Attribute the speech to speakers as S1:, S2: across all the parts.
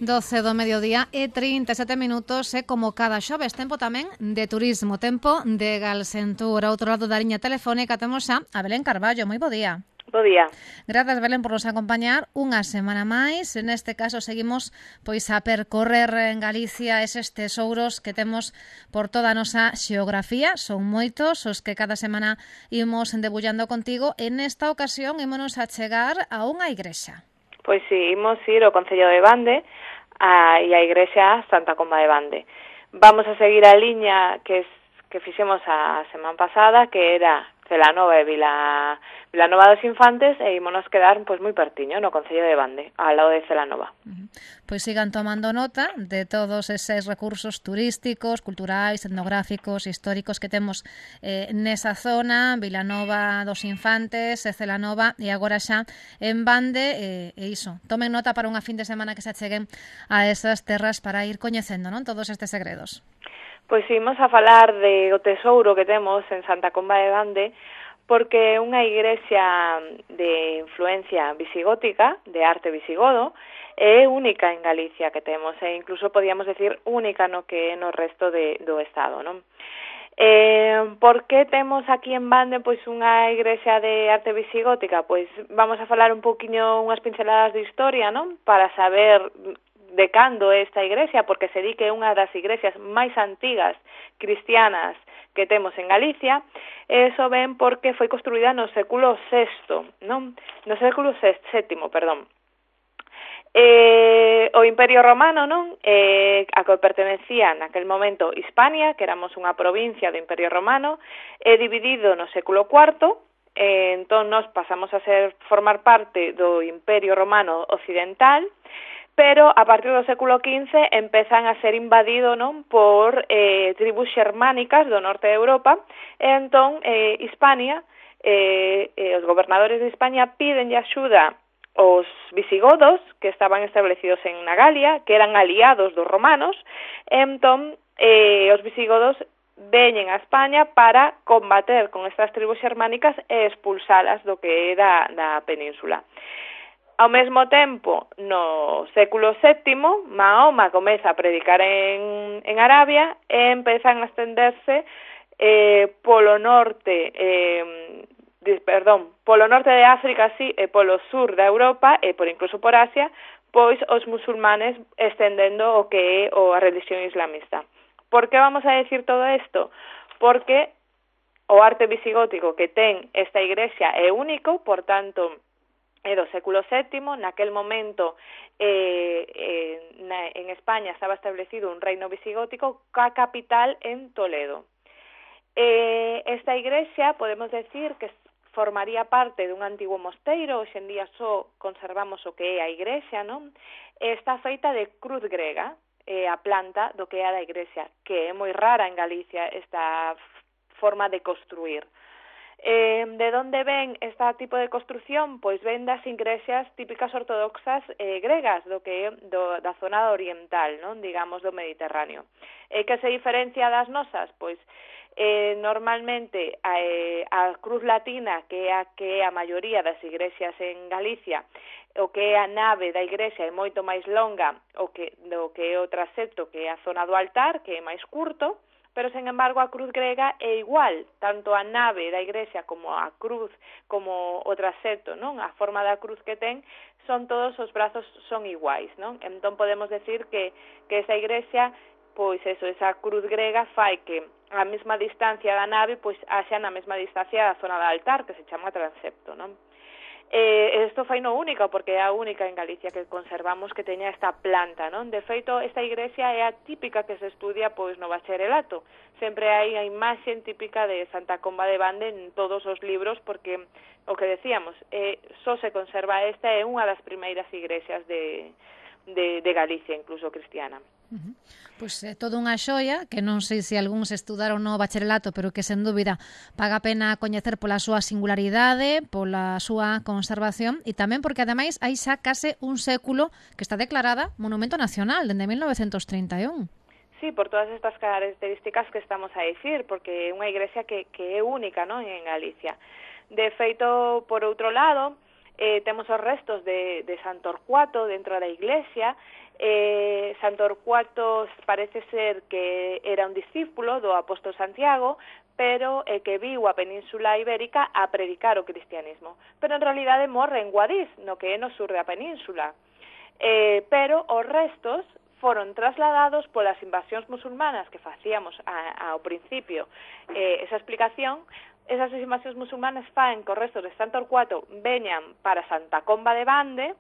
S1: 12 do mediodía e 37 minutos e como cada xoves tempo tamén de turismo, tempo de Galsentur. Ao outro lado da liña telefónica temos xa a Belén Carballo. Moi bo día.
S2: Bo día.
S1: Grazas, Belén, por nos acompañar unha semana máis. Neste caso seguimos pois a percorrer en Galicia eses tesouros que temos por toda a nosa xeografía. Son moitos os que cada semana imos debullando contigo. En esta ocasión ímonos a chegar a unha igrexa.
S2: Pois si, imos ir ao Concello de Bande e a igrexa Santa Comba de Bande. Vamos a seguir a liña que fixemos a semana pasada, que era Celanova e Vilanova dos Infantes, e ímonos quedar pois moi pertiño no Concello de Bande, ao lado de Celanova.
S1: Pois sigan tomando nota de todos eses recursos turísticos, culturais, etnográficos, históricos que temos nesa zona, Vilanova dos Infantes, Celanova e agora xa en Bande, e iso, tomen nota para unha fin de semana que se acheguen a esas terras para ir coñecendo, non, todos estes segredos.
S2: Pois imos a falar de o tesouro que temos en Santa Comba de Bande, porque é unha igrexa de influencia visigótica, de arte visigodo, é única en Galicia que temos, e incluso podíamos decir única no que no resto do Estado, non? Por que temos aquí en Bande pois unha igrexa de arte visigótica? Pois vamos a falar un poquinho, unhas pinceladas de historia, non? Para saber de cando é esta igrexa, porque se di que é unha das igrexas máis antigas cristianas que temos en Galicia, e iso ven porque foi construída no século VI, non? No século VII, perdón. O Imperio Romano, non? A que pertenecía naquel momento Hispania, que éramos unha provincia do Imperio Romano, é dividido no século IV, entón nos pasamos a formar parte do Imperio Romano Occidental, pero a partir do século XV empezan a ser invadido, non, por tribus xermánicas do norte de Europa, e entón Hispania, os gobernadores de España pídenlle axuda aos visigodos que estaban establecidos en Galia, que eran aliados dos romanos, e entón os visigodos veñen a España para combater con estas tribus xermánicas e expulsalas do que é da península. Ao mesmo tempo, no século VII, Mahoma comeza a predicar en Arabia e empezan a estenderse polo norte de África, sí, e polo sur da Europa e incluso por Asia, pois os musulmanes estendendo o que é a religión islamista. Por que vamos a decir todo isto? Porque o arte visigótico que ten esta igrexa é único, por tanto, é do século VII, naquel momento en España estaba establecido un reino visigótico ca capital en Toledo. Esta igrexa podemos decir que formaría parte dun antigo mosteiro, hoxe en día só conservamos o que é a igrexa, non? Está feita de cruz grega, a planta do que é a da igrexa, que é moi rara en Galicia esta forma de construir. De onde ven este tipo de construción? Pois ven das igrexas típicas ortodoxas gregas do que é da zona oriental, non, digamos, do Mediterráneo. Que se diferencia das nosas? Pois normalmente a cruz latina, que é a maioría das igrexas en Galicia, o que é a nave da igrexa é moito máis longa do que é o transepto, que é a zona do altar, que é máis curto, pero, sen embargo, a cruz grega é igual, tanto a nave da igrexa como a cruz, como o transepto, non? A forma da cruz que ten, todos os brazos son iguais, non? Entón podemos decir que esa igrexa, pois eso, esa cruz grega fai que a mesma distancia da nave, pois haxa na mesma distancia da zona do altar, que se chama transepto, non? Isto fai no único, porque é a única en Galicia que conservamos que teña esta planta, non? De feito, esta igrexa é a típica que se estudia pois no bacharelato. Sempre hai a imaxe típica de Santa Comba de Bande en todos os libros, porque o que decíamos, só se conserva esta, é unha das primeiras igrexas de Galicia, incluso cristiana.
S1: Pois é toda unha xoia que non sei se algúns estudaron no bacharelato, pero que sen dúbida paga a pena coñecer pola súa singularidade, pola súa conservación e tamén porque ademais hai xa case un século que está declarada Monumento Nacional dende 1931.
S2: Sí, por todas estas características que estamos a dicir, porque é unha igrexa que é única, non, en Galicia. De feito, por outro lado, temos os restos de San Torcuato dentro da iglesia, San Torcuato parece ser que era un discípulo do apóstolo Santiago, pero que viu a Península Ibérica a predicar o cristianismo. Pero en realidade morre en Guadix, no que é no sur da península. Pero os restos foron trasladados polas invasións musulmanas que facíamos ao principio. Esa explicación, esas invasións musulmanas faen que os restos de San Torcuato veñan para Santa Comba de Bande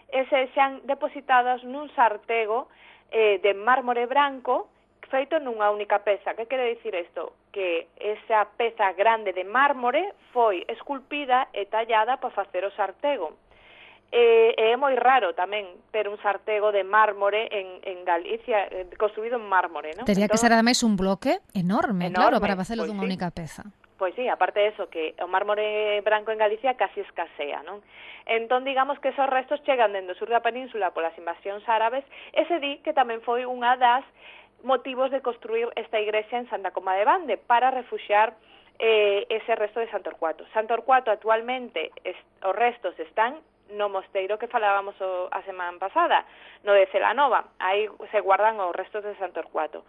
S2: e se xan depositadas nun sartego de mármore branco feito nunha única peza. Que quere dicir isto? Que esa peza grande de mármore foi esculpida e tallada para facer o sartego. É moi raro tamén ter un sartego de mármore en Galicia, construído en mármore, non?
S1: Tería que ser ademais un bloque enorme, claro, para facelo
S2: pois
S1: dunha única peza.
S2: Pois sí, aparte de eso, que o mármore branco en Galicia casi escasea, non? Entón, digamos que esos restos chegan dende o sur da península polas invasións árabes, e se di que tamén foi unha das motivos de construir esta igrexa en Santa Comba de Bande para refuxiar ese resto de San Torcuato. San Torcuato actualmente os restos están no mosteiro que falábamos a semana pasada, no de Celanova. Aí se guardan os restos de San Torcuato.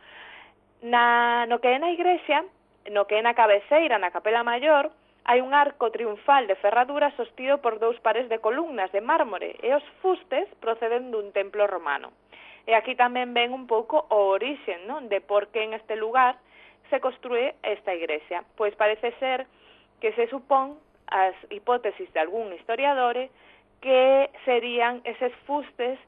S2: No que é na igrexa, no que é na cabeceira, na capela maior, hai un arco triunfal de ferradura sostido por 2 pares de columnas de mármore e os fustes proceden dun templo romano. E aquí tamén ven un pouco o orixen, non? De por que en este lugar se construe esta igrexa. Pois parece ser que se supón, as hipótesis de algún historiador, que serían eses fustes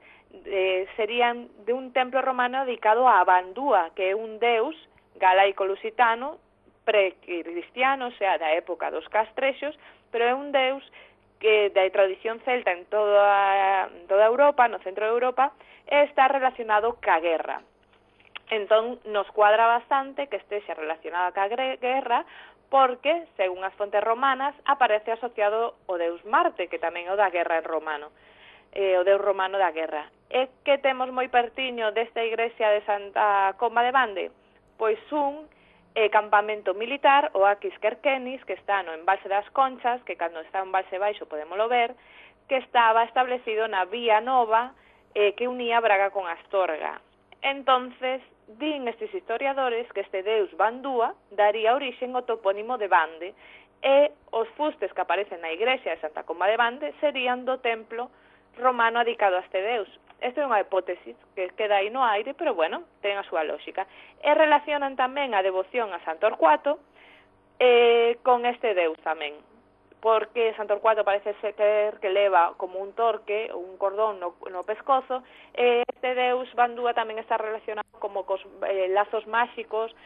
S2: serían de un templo romano dedicado a Bandúa, que é un deus galaico-lusitano precristiano, o sea, da época dos castrexos, pero é un deus que da tradición celta en toda Europa, no centro de Europa, está relacionado ca guerra. Entón, nos cuadra bastante que estexa relacionado ca guerra, porque, según as fontes romanas, aparece asociado o deus Marte, que tamén é o da guerra en romano, o deus romano da guerra. E que temos moi pertiño desta igrexa de Santa Comba de Bande? Pois un campamento militar, o Aquis Querquenis, que está no embalse das Conchas, que cando está en embalse baixo podémolo ver, que estaba establecido na Vía Nova, que unía Braga con Astorga. Entonces, din estes historiadores que este deus Bandúa daría orixen ao topónimo de Bande, e os fustes que aparecen na igrexa de Santa Comba de Bande serían do templo romano dedicado a este deus. Esta é unha hipótesis que queda aí no aire, pero bueno, ten a súa lógica. E relacionan tamén a devoción a San Torcuato con este deus tamén, porque San Torcuato parece ser que leva como un torque, un cordón no pescozo, e este deus Bandúa tamén está relacionado como cos lazos máxicos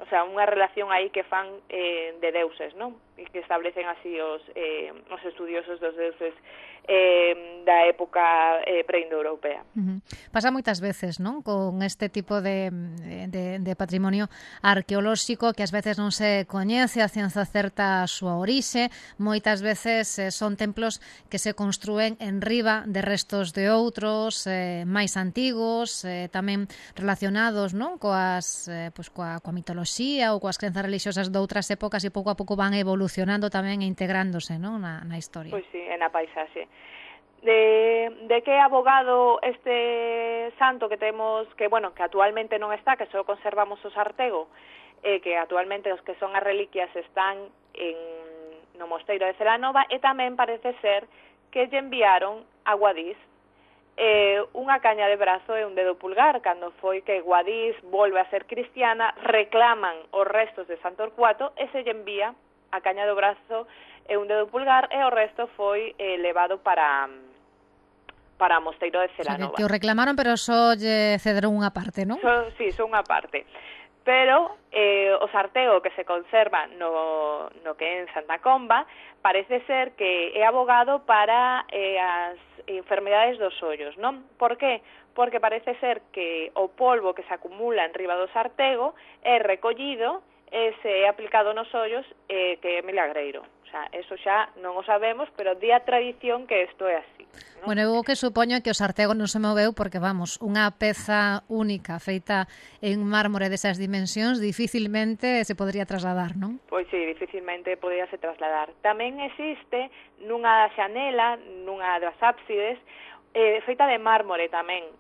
S2: o sea, unha relación aí que fan de deuses, non? E que establecen así os estudiosos dos deuses da época preindoeuropea.
S1: Pasa moitas veces, non? Con este tipo de patrimonio arqueolóxico que ás veces non se coñece a ciencia certa a súa orixe, moitas veces son templos que se construen en riba de restos de outros máis antigos, tamén relacionados, non? Coa mitoloxía ou coas crenzas religiosas de outras épocas, e pouco a pouco van evolucionando tamén e integrándose, non? na historia.
S2: Pois sí, na paisaxe. De que é abogado este santo que temos, que actualmente non está, que só conservamos o sartego, que actualmente os que son as reliquias están no mosteiro de Celanova, e tamén parece ser que lle enviaron a Guadix unha caña de brazo e un dedo pulgar. Cando foi que Guadix volve a ser cristiana, reclaman os restos de San Torcuato e se lle envía a caña do brazo e un dedo pulgar, e o resto foi levado para o mosteiro de Celanova.
S1: O sea, que o reclamaron, pero só lle cederon unha parte, non?
S2: Sí, só unha parte. Pero o sartego que se conserva no que é en Santa Comba parece ser que é abogado para as enfermedades dos ollos, non? Por qué? Porque parece ser que o polvo que se acumula en riba do sartego é recollido e se é aplicado nos ollos, que é milagreiro. O sea, eso xa non o sabemos, pero di a tradición que isto é así, ¿no?
S1: Bueno, eu o que supoño é que o sartego non se moveu porque, vamos, unha peza única feita en mármore desas dimensións dificilmente se podría trasladar, non?
S2: Pois sí, dificilmente podíase trasladar. Tamén existe nunha xanela, nunha das ábsides, feita de mármore tamén,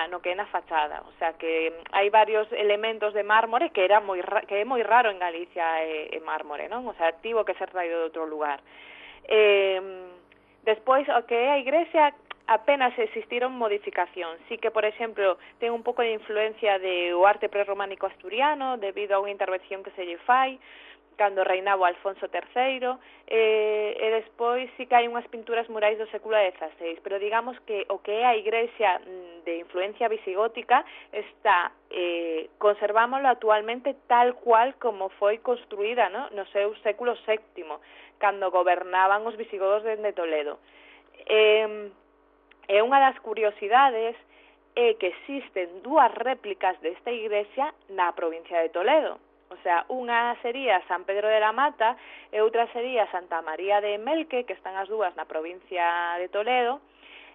S2: no que é na fachada. O sea que hai varios elementos de mármore que é moi raro en Galicia mármore, non? O sea, tivo que ser traído de outro lugar. Despois, o que é a igrexa, apenas existiron modificacións. Sí que, por exemplo, ten un pouco de influencia do arte prerrománico asturiano debido a unha intervención que se lle fai cando reinaba Alfonso III, e despois sí que hai unhas pinturas murais do século XVI, pero digamos que o que é a igrexa de influencia visigótica está conservámoslo actualmente tal cual como foi construída, ¿no?, no seu século VII, cando gobernaban os visigodos dende Toledo. E unha das curiosidades é que existen dúas réplicas desta igrexa na provincia de Toledo. O sea, unha sería San Pedro de la Mata e outra sería Santa María de Melque, que están as dúas na provincia de Toledo,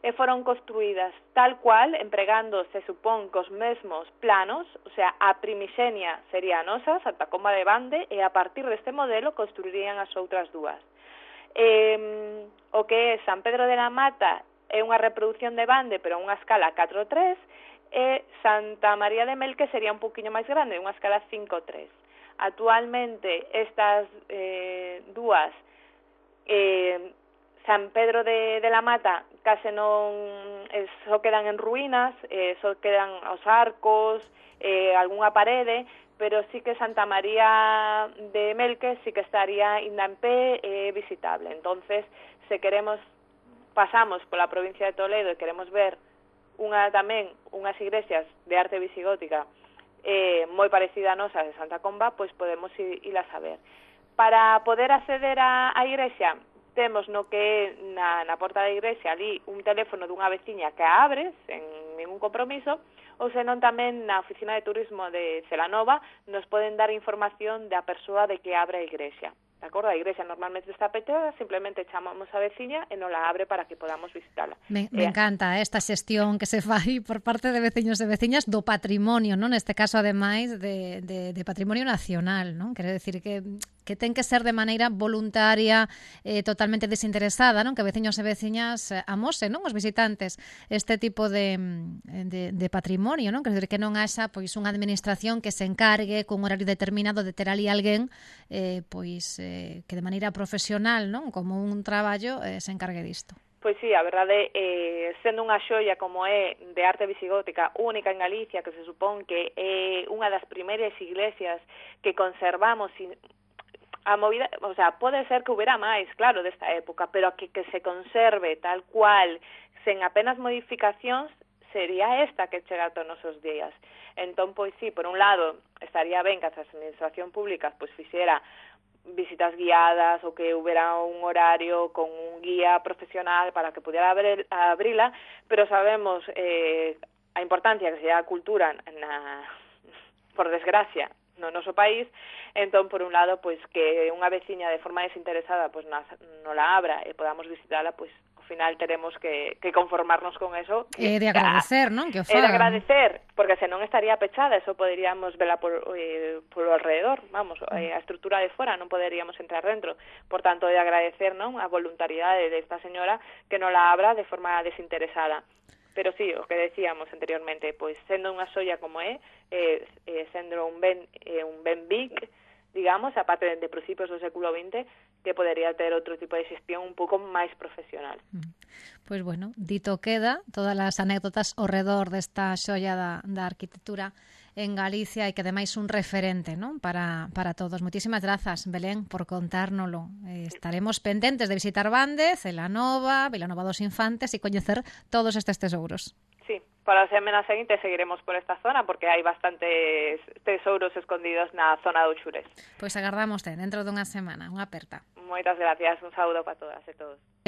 S2: e foron construídas tal cual, empregando, se supón, cos mesmos planos, o sea, a primixenia sería a nosa, Santa Comba de Bande, e a partir deste modelo construirían as outras dúas. O que é San Pedro de la Mata é unha reproducción de Bande, pero a unha escala 4:3, e Santa María de Melque sería un poquinho máis grande, unha escala 5:3. Actualmente estas dúas, San Pedro de la Mata case non só quedan en ruínas, só quedan os arcos, algunha parede, pero sí que Santa María de Melque sí que estaría ainda en pé visitable. Entonces, se queremos, pasamos pola provincia de Toledo e queremos ver tamén unhas igrexas de arte visigótica moi parecida a nosa de Santa Comba, pois podemos ilas a ver. Para poder acceder á igrexa, temos no que na porta da igrexa ali un teléfono dunha veciña que a abre sen ningún compromiso, ou senón tamén na oficina de turismo de Celanova nos poden dar información da persoa de que abre a igrexa. De acordo? A igrexa normalmente está pechada, simplemente chamamos a veciña e non la abre para que podamos visitarla.
S1: Me encanta esta xestión que se fai por parte de veciños e veciñas do patrimonio, non? Neste caso, ademais, de patrimonio nacional, non? Quere decir que ten que ser de maneira voluntaria, totalmente desinteresada, non? Que veciños e veciñas amosen, non? Os visitantes este tipo de patrimonio, non? Quer dizer, que non haxa pois unha administración que se encargue cun horario determinado de ter ali alguén que de maneira profesional, non? Como un traballo se encargue disto.
S2: Pois sí, a verdade, sendo unha xoia como é de arte visigótica única en Galicia, que se supón que é unha das primeiras iglesias que conservamos a movida, o sea, pode ser que hubiera máis, claro, desta época, pero que se conserve tal cual, sen apenas modificacións, sería esta que chega a nosos días. Entón, pois sí, por un lado, estaría ben que a administración pública pois fixera visitas guiadas ou que hubiera un horario con un guía profesional para que pudiera abrila, pero sabemos a importancia que se dá a cultura por desgracia no noso país. Entón, por un lado, pois que unha veciña de forma desinteresada pois non la abra e podamos visitala, pois ao final teremos que conformarnos con eso.
S1: E de agradecer, non? Que o fagan.
S2: E de agradecer, porque senón estaría pechada, eso poderíamos vela polo alrededor, vamos, a estrutura de fora, non poderíamos entrar dentro. Por tanto, de agradecer, non, a voluntariedade desta señora que non la abra de forma desinteresada. Pero sí, o que decíamos anteriormente, pois sendo unha xoia como sendo un ben big, digamos, aparte de principios do século XX, que podería ter outro tipo de xestión un pouco máis profesional.
S1: Pois bueno, dito queda, todas as anécdotas ao redor desta xoia da arquitectura en Galicia e que ademais un referente, non? Para todos. Moitísimas grazas, Belén, por contárnolo. Estaremos pendentes de visitar Bande, Celanova, Vilanova dos Infantes e coñecer todos estes tesouros.
S2: Sí, para a semana seguinte seguiremos por esta zona porque hai bastantes tesouros escondidos na zona do Xurés.
S1: Pois agardamos dentro dunha semana. Unha aperta.
S2: Moitas gracias, un saúdo para todas e todos.